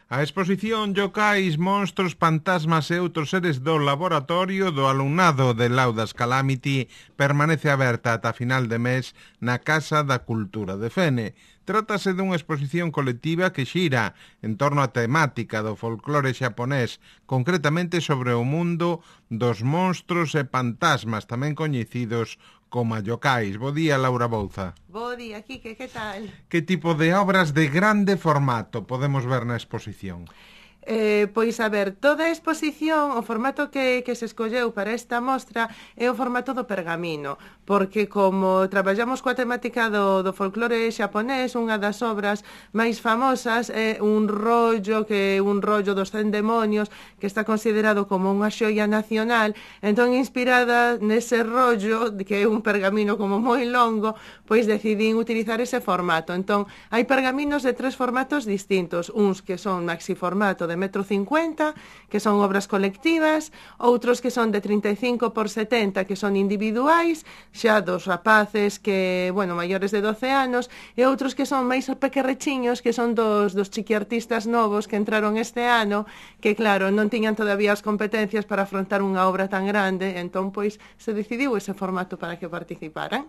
A exposición Yokais, monstros, fantasmas e outros seres do laboratorio do alumnado de Laudas Calamity permanece aberta ata final de mes na Casa da Cultura de Fene. Trátase dunha exposición colectiva que xira en torno á temática do folclore xaponés, concretamente sobre o mundo dos monstros e fantasmas, tamén coñecidos como yokais. Bo día, Laura Bouza. Bo día, Quique, que tal? Que tipo de obras de grande formato podemos ver na exposición? Pois, a ver, toda a exposición, o formato que se escolleu para esta mostra é o formato do pergamino, porque como traballamos coa temática do folclore xaponés, unha das obras máis famosas é un rollo dos 100 demonios, que está considerado como unha xoia nacional. Entón, inspirada nese rollo, que é un pergamino como moi longo, pois decidín utilizar ese formato. Entón, hai pergaminos de 3 formatos distintos, uns que son maxiformato de 1,50 m, que son obras colectivas, outros que son de 35 por 70, que son individuais, xa dos rapaces que, maiores de 12 anos, e outros que son máis pequerrechiños, que son dos chiquiartistas novos que entraron este ano, que claro, non tiñan todavía as competencias para afrontar unha obra tan grande, entón pois se decidiu ese formato para que participaran.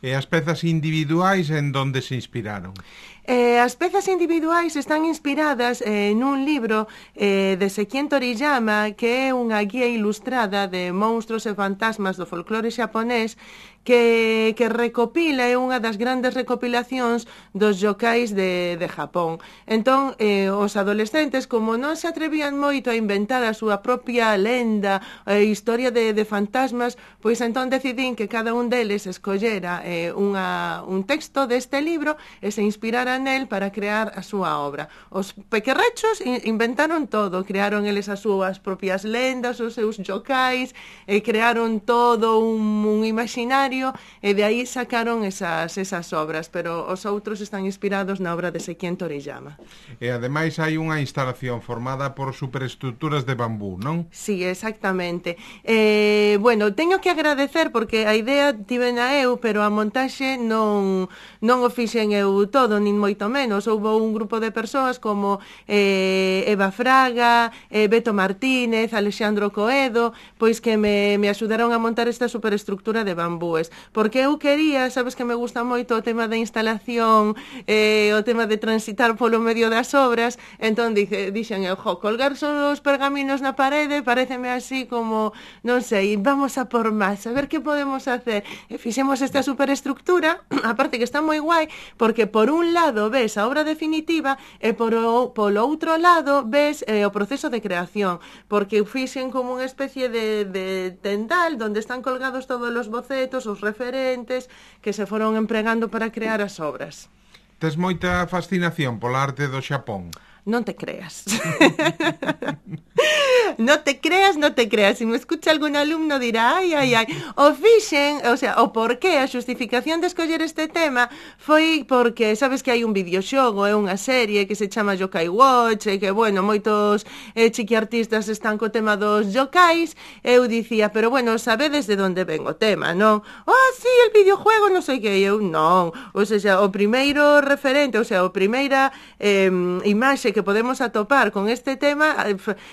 E as pezas individuais en donde se inspiraron? As pezas individuais están inspiradas nun libro de Sekien Toriyama, que é unha guía ilustrada de monstros e fantasmas do folclore xaponés, que recopila, é unha das grandes recopilacións dos yokais de Japón. Entón, os adolescentes, como non se atrevían moito a inventar a súa propia lenda, historia de fantasmas, pois entón decidín que cada un deles escollera un texto deste libro e se inspirara nel para crear a súa obra. Os pequerrechos inventaron todo, crearon eles as súas propias lendas, os seus yokais, e crearon todo un imaginario, e de aí sacaron esas obras, pero os outros están inspirados na obra de Sekien Toriyama. E ademais hai unha instalación formada por superestructuras de bambú, non? Sí, exactamente. Teño que agradecer porque a idea tivena eu, pero a montaxe non o fixen eu todo, nin moito menos. Houbo un grupo de persoas como Eva Fraga, Beto Martínez, Alexandro Coedo, pois que me axudaron a montar esta superestructura de bambúes, porque eu quería, sabes que me gusta moito o tema da instalación, o tema de transitar polo medio das obras, entón dixen eu, colgar só os pergaminos na parede pareceme así como, non sei, vamos a por máis, a ver que podemos hacer. E fixemos esta superestructura, aparte que está moi guai, porque por un lado ves a obra definitiva e polo outro lado ves o proceso de creación, porque fixen como unha especie de tendal onde están colgados todos os bocetos, os referentes que se foron empregando para crear as obras. Tes moita fascinación pola arte do Xapón? Non te creas. No te creas. Si me escucha algún alumno dirá, ai. O fixen, o porqué, a xustificación de escoller este tema foi porque, sabes que hai un videoxogo, é unha serie que se chama Yokai Watch, e que, moitos chiquiartistas están co tema dos yokais. Eu dicía, pero sabedes de onde ven o tema, non? Sí, el videojuego, non sei que, eu non. O primeiro referente, a primeira imaxe que podemos atopar con este tema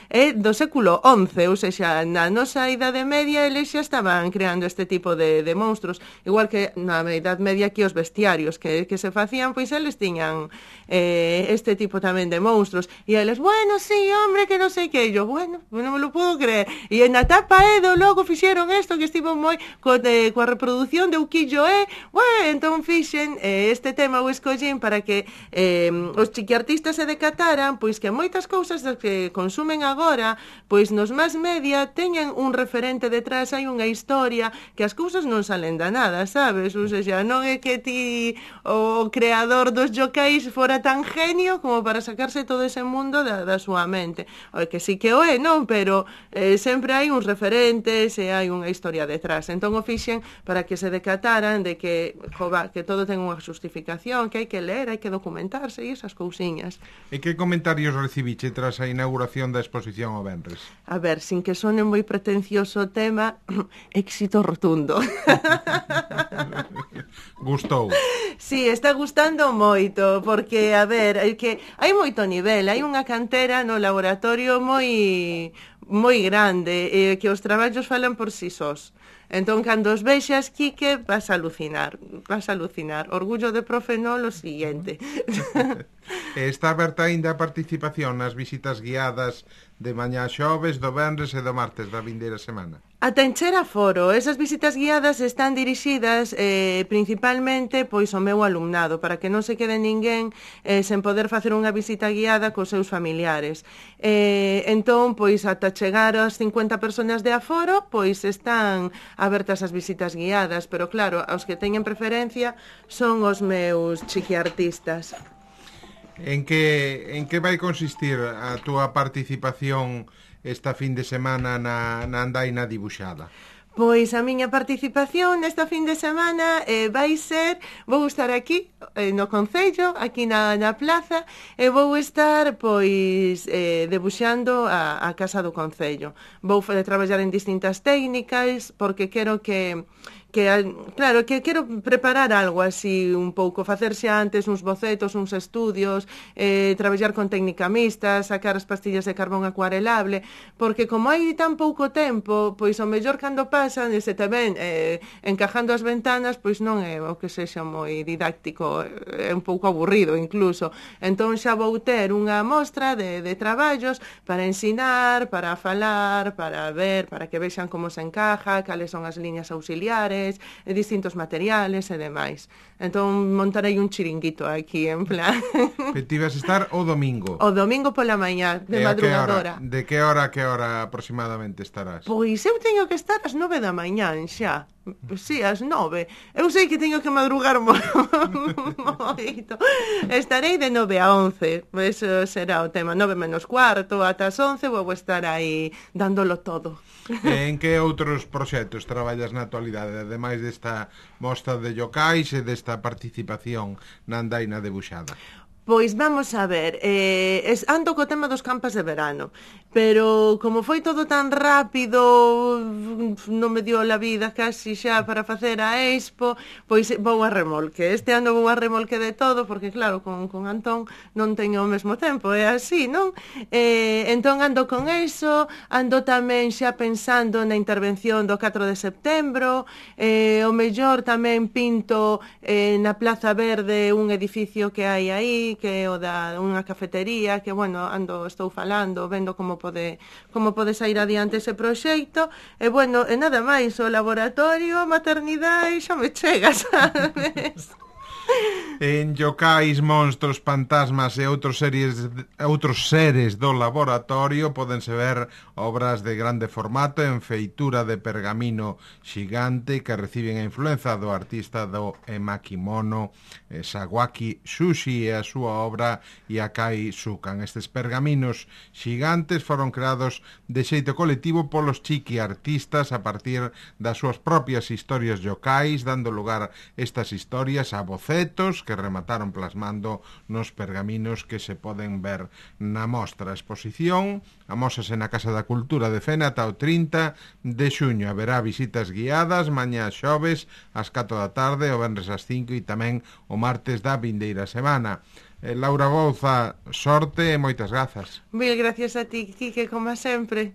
é do século XI, na nosa Idade Media eles xa estaban creando este tipo de monstros, igual que na Idade Media aquí os bestiarios que se facían, pois eles tiñan este tipo tamén de monstros, e eles, sí, hombre, que non sei que, yo, non me lo puedo creer, e na tapa Edo logo fixeron isto que estivo moi coa reproducción de Ukiyo-e, entón fixen este tema o escollín para que os chiquiartistas se decataran, pois que moitas cousas das que consumen agora, pois nos mass media teñen un referente detrás, hai unha historia, que as cousas non salen da nada, sabes? Non é que ti, o creador dos yokais, fora tan genio como para sacarse todo ese mundo da súa mente. Que sí que o é, non? Pero sempre hai uns referentes e hai unha historia detrás. Entón o fixen para que se decataran de que todo ten unha justificación, que hai que ler, hai que documentarse e esas cousiñas. E que comentarios recibiche tras a inauguración da exposición o venres? A ver, sin que sone moi pretencioso o tema, éxito rotundo. Gustou? Sí, está gustando moito, porque, a ver, é que hai moito nivel, hai unha cantera no laboratorio moi grande, que os traballos falan por si sós. Entón, cando os vexas, Quique, vas a alucinar. Orgullo de profe no, lo siguiente. Está aberta aínda a participación nas visitas guiadas de mañá xoves, do venres e do martes da vindeira semana? Ata encher aforo. Esas visitas guiadas están dirixidas principalmente pois ao meu alumnado, para que non se quede ninguén sen poder facer unha visita guiada cos seus familiares. Entón, pois ata chegar ás 50 personas de aforo, pois están abertas as visitas guiadas, pero claro, os que teñen preferencia son os meus chiquiartistas. En que vai consistir a túa participación esta fin de semana na andaina dibuixada? Pois a miña participación nesta fin de semana vai ser, vou estar aquí no Concello, aquí na plaza, e vou estar pois debuxando a Casa do Concello. Vou traballar en distintas técnicas porque quero que quero preparar algo así un pouco, facerse antes uns bocetos, uns estudios, traballar con técnica mixta, sacar as pastillas de carbón acuarelable, porque como hai tan pouco tempo, pois o mellor cando pasan, e se tamén encajando as ventanas, pois non é o que sexa moi didáctico, é un pouco aburrido incluso. Entón xa vou ter unha mostra de traballos para ensinar, para falar, para ver, para que vexan como se encaja, cales son as liñas auxiliares, distintos materiales e demais. Entón montarei un chiringuito aquí en plan. Que ti vas estar o domingo? O domingo pola mañá, de madrugadora. De que hora aproximadamente estarás? Pois eu teño que estar ás 9 da mañá xa. Sí, ás 9. Eu sei que teño que madrugar moito. Estarei de 9 a 11. Eso será o tema. 9 menos cuarto, ata as 11 vou estar aí dándolo todo. En que outros proxectos traballas na actualidade, ademais desta mostra de yokais e desta participación na andaina debuxada? Pois vamos a ver, ando co tema dos campas de verano, pero como foi todo tan rápido, non me dio la vida casi xa para facer a expo, pois vou a remolque. Este ano vou a remolque de todo, porque claro, con Antón non teño o mesmo tempo, é así, non? Entón ando con eso, ando tamén xa pensando na intervención do 4 de setembro, o mellor tamén pinto na Plaza Verde un edificio que hai aí, que é o da unha cafetería, que, bueno, estou falando, vendo como pode sair adiante ese proxecto, e, bueno, e nada máis, o laboratorio, a maternidade, xa me chega, sabes? En yokais, monstros, fantasmas e outros seres do laboratorio pódense ver obras de grande formato en feitura de pergamino xigante que reciben a influenza do artista do emakimono Sawaki Sushi e a súa obra Yakai Sukan. Estes pergaminos xigantes foron creados de xeito colectivo polos chiqui artistas a partir das súas propias historias yokais, dando lugar estas historias a bocetos que remataron plasmando nos pergaminos que se poden ver na mostra. A exposición amósase na Casa da Cultura de Fene ata o 30 de xuño. Haberá visitas guiadas mañá xoves ás 4 da tarde, o venres ás 5 e tamén o martes da vindeira semana. Laura Bouza, sorte e moitas grazas. Mil gracias a ti, Quique, como sempre.